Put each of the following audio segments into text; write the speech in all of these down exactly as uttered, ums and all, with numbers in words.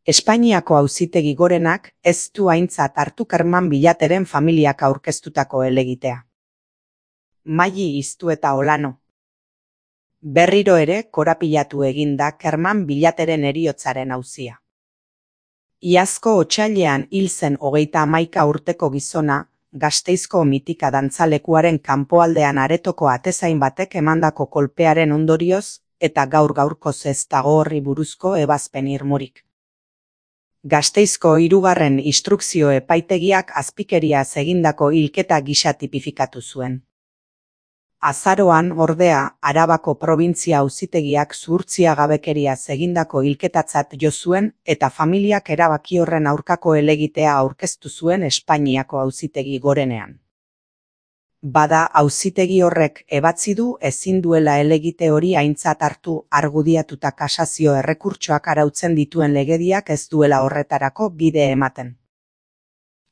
Espainiako Auzitegi Gorenak ez du aintzat hartu Kerman Billateren familiak aurkeztutako helegitea. Maili Iztueta Olano. Berriro ere korapilatu egin da Kerman Billateren heriotzaren auzia. Iazko otsailean hil zen hogeita hamaika urteko gizona, Gasteizko mitika dantzalekuaren kanpoaldean aretoko atezain batek emandako kolpearen ondorioz, eta gaur gaurkoz ez dago horri buruzko ebazpen irmorik. Gasteizko hirugarren instrukzio epaitegiak azpikeriaz egindako hilketa gisa tipifikatu zuen. Azaroan, ordea, Arabako probintzia auzitegiak zuhurtziagabekeriaz egindako hilketatzat jo zuen eta familiak erabaki horren aurkako helegitea aurkeztu zuen Espainiako Auzitegi Gorenean. Bada, auzitegi horrek ebatzi du ezin duela helegite hori aintzat hartu argudiatuta kasazio errekurtsoak arautzen dituen legediak ez duela horretarako bide ematen.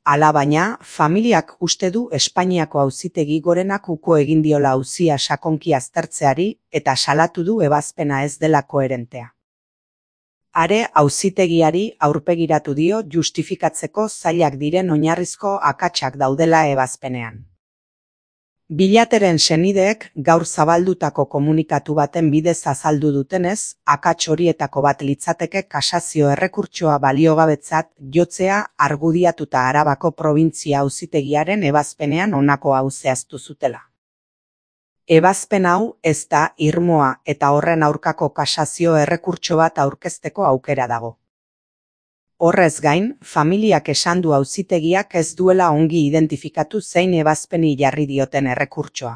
Alabaina, familiak uste du Espainiako Auzitegi Gorenak uko egin diola auzia sakonki aztertzeari eta salatu du ebazpena ez dela koherentea. Are auzitegiari aurpegiratu dio justifikatzeko zailak diren oinarrizko akatsak daudela ebazpenean. Billateren senideek gaur zabaldutako komunikatu baten bidez azaldu dutenez, akats horietako bat litzateke kasazio errekurtsoa baliogabetzat jotzea argudiatuta Arabako probintzia auzitegiaren ebazpenean honako hau zehaztu zutela. Ebazpen hau ez da irmoa eta horren aurkako kasazio errekurtso bat aurkezteko aukera dago. Horrez gain, familiak esan du auzitegiak ez duela ongi identifikatu zein ebazpeni jarri dioten errekurtsoa.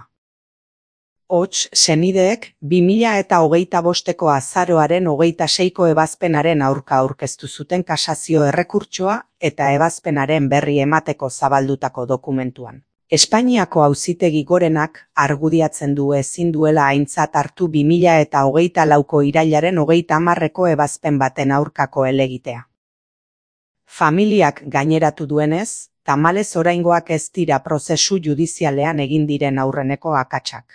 Hots, senideek, bi mila eta hogeita bosteko azaroaren hogeita seiko ebazpenaren aurka aurkeztu zuten kasazio errekurtsoa eta ebazpenaren berri emateko zabaldutako dokumentuan. Espainiako Auzitegi Gorenak argudiatzen du ezin duela aintzat hartu bi mila eta hogeita lauko irailaren hogeita hamarreko ebazpen baten aurkako helegitea. Familiak gaineratu duenez, tamalez oraingoak ez dira prozesu judizialean egin diren aurreneko akatsak.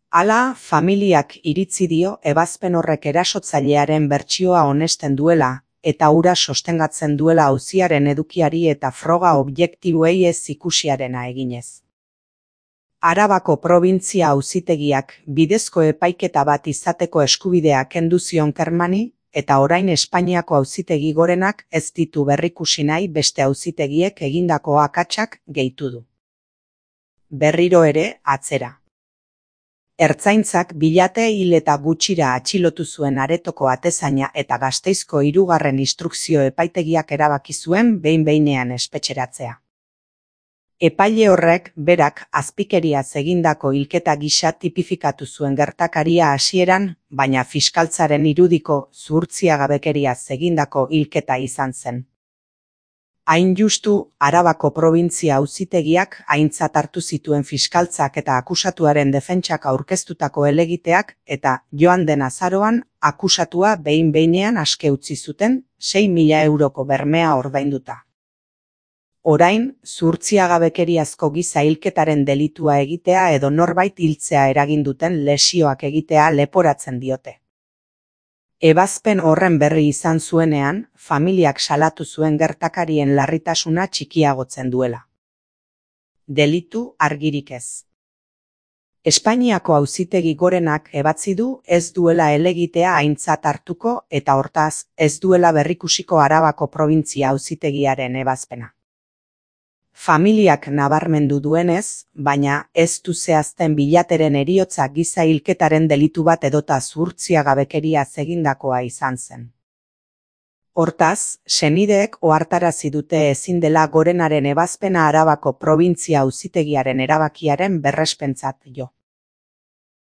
Hala, familiak iritzi dio ebazpen horrek erasotzailearen bertsioa onesten duela, eta hura sostengatzen duela auziaren edukiari eta froga objektiboei ez ikusiarena eginez. Arabako probintzia auzitegiak bidezko epaiketa bat izateko eskubidea kendu zion Kermani, eta orain Espainiako Auzitegi Gorenak ez ditu berrikusi nahi beste auzitegiek egindako akatsak gehitu du. Berriro ere, atzera. Ertzaintzak Billate hil eta gutxira atxilotu zuen aretoko atezaina eta Gasteizko hirugarren instrukzio epaitegiak erabaki zuen behin-behinean espetxeratzea. Epaile horrek berak azpikeriaz egindako hilketa gisa tipifikatu zuen gertakaria hasieran, baina fiskaltzaren irudiko zuhurtziagabekeriaz egindako hilketa izan zen. Hain justu, Arabako probintzia auzitegiak aintzat hartu zituen fiskaltzak eta akusatuaren defentsak aurkeztutako helegiteak eta joan den azaroan akusatua behin-behinean aske utzi zuten sei mila euroko bermea ordainduta. Orain, zuhurtziagabekeriazko giza hilketaren delitua egitea edo norbait hiltzea eragin duten lesioak egitea leporatzen diote. Ebazpen horren berri izan zuenean, familiak salatu zuen gertakarien larritasuna txikiagotzen duela. Delitu argirik ez. Espainiako Auzitegi Gorenak ebatzi du ez duela helegitea aintzat hartuko eta hortaz ez duela berrikusiko Arabako probintzia auzitegiaren ebazpena. Familiak nabarmendu duenez, baina ez du zehazten Billateren heriotza giza hilketaren delitu bat edota zuhurtziagabekeriaz egindakoa izan zen. Hortaz, senideek ohartarazi dute ezin dela Gorenaren ebazpena Arabako probintzia auzitegiaren erabakiaren berrespentzat jo.